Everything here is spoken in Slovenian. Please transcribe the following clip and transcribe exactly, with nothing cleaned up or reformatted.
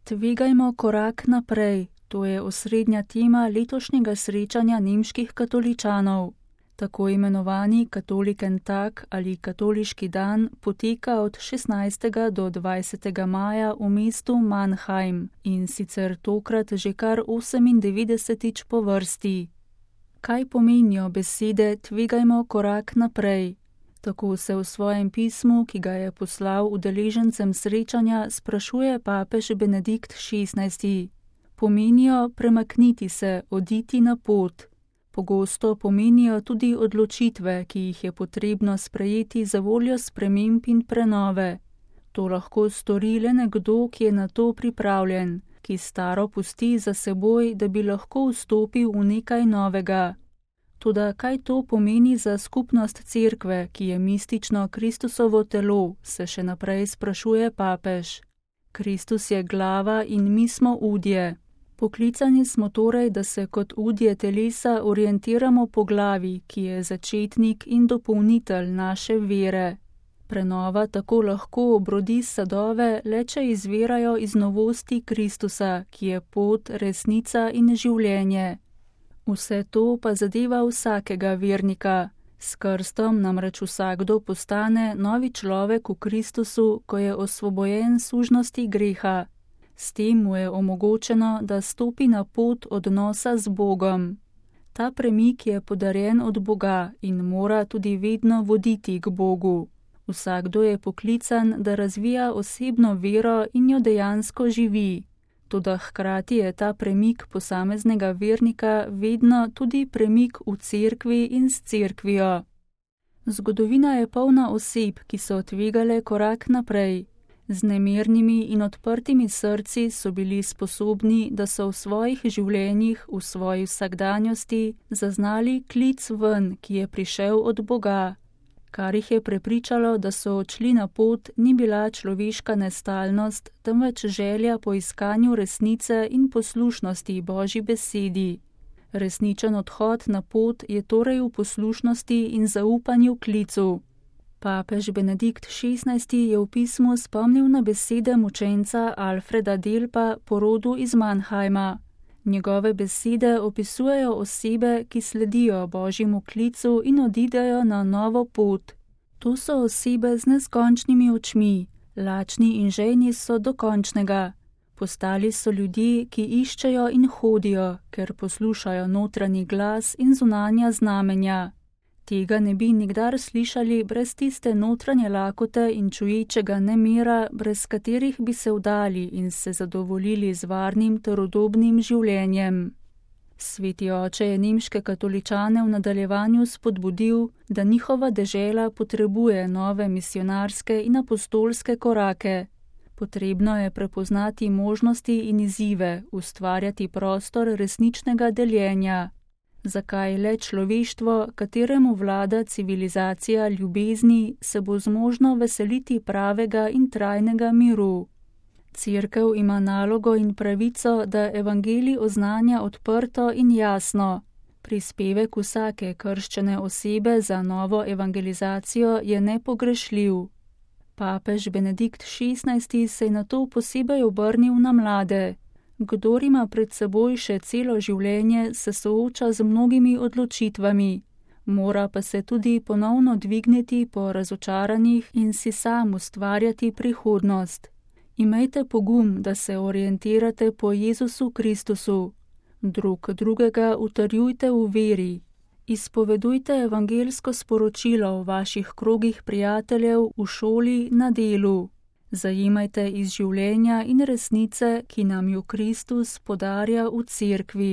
Tvegajmo korak naprej, to je osrednja tema letošnjega srečanja nemških katoličanov. Tako imenovani Katoliken-tag ali katoliški dan poteka od šestnajstega do dvajsetega maja v mestu Mannheim in sicer tokrat že kar osemindevetdesetič po vrsti. Kaj pomenijo besede tvegajmo korak naprej? Tako se v svojem pismu, ki ga je poslal udeležencem srečanja, sprašuje papež Benedikt šestnajsti. Pomenijo premakniti se, oditi na pot. Pogosto pomenijo tudi odločitve, ki jih je potrebno sprejeti za voljo sprememb in prenove. To lahko stori le nekdo, ki je na to pripravljen, ki staro pusti za seboj, da bi lahko vstopil v nekaj novega. Toda kaj to pomeni za skupnost cerkve, ki je mistično Kristusovo telo, se še naprej sprašuje papež. Kristus je glava in mi smo udje. Poklicani smo torej, da se kot udje telesa orientiramo po glavi, ki je začetnik in dopolnitelj naše vere. Prenova tako lahko obrodi sadove, le če izvirajo iz novosti Kristusa, ki je pot, resnica in življenje. Vse to pa zadeva vsakega vernika. S krstom namreč vsakdo postane novi človek v Kristusu, ko je osvobojen sužnosti greha. S tem mu je omogočeno, da stopi na pot odnosa z Bogom. Ta premik je podarjen od Boga in mora tudi vedno voditi k Bogu. Vsakdo je poklican, da razvija osebno vero in jo dejansko živi. Toda hkrati je ta premik posameznega vernika vedno tudi premik v cerkvi in s cerkvijo. Zgodovina je polna oseb, ki so tvegale korak naprej. Z nemernimi in odprtimi srci so bili sposobni, da so v svojih življenjih, v svoji vsakdanjosti zaznali klic ven, ki je prišel od Boga. Kar jih je prepričalo, da so odšli na pot, ni bila človeška nestalnost, temveč želja po iskanju resnice in poslušnosti Božji besedi. Resničen odhod na pot je torej v poslušnosti in zaupanju klicu. Papež Benedikt šestnajsti je v pismu spomnil na besede mučenca Alfreda Delpa po rodu iz Mannheima. Njegove besede opisujejo osebe, ki sledijo Božjemu klicu in odidejo na novo pot. To so osebe z neskončnimi očmi, lačni in žejni so do končnega. Postali so ljudje, ki iščejo in hodijo, ker poslušajo notranji glas in zunanja znamenja. Tega ne bi nikdar slišali brez tiste notranje lakote in čuječega nemira, brez katerih bi se vdali in se zadovoljili z varnim ter udobnim življenjem. Sveti oče je nemške katoličane v nadaljevanju spodbudil, da njihova dežela potrebuje nove misionarske in apostolske korake. Potrebno je prepoznati možnosti in izzive, ustvarjati prostor resničnega deljenja. Zakaj le človeštvo, kateremu vlada civilizacija ljubezni, se bo zmožno veseliti pravega in trajnega miru? Cerkev ima nalogo in pravico, da evangelij oznanja odprto in jasno. Prispevek vsake krščene osebe za novo evangelizacijo je nepogrešljiv. Papež Benedikt šestnajsti se je nato posebej obrnil na mlade. Kdor ima pred seboj še celo življenje, se sooča z mnogimi odločitvami, mora pa se tudi ponovno dvigniti po razočaranjih in si sam ustvarjati prihodnost. Imejte pogum, da se orientirate po Jezusu Kristusu. Drug drugega utrjujte v veri. Izpovedujte evangelsko sporočilo v vaših krogih prijateljev, v šoli, na delu. Zajemajte iz življenja in resnice, ki nam jo Kristus podarja v cerkvi.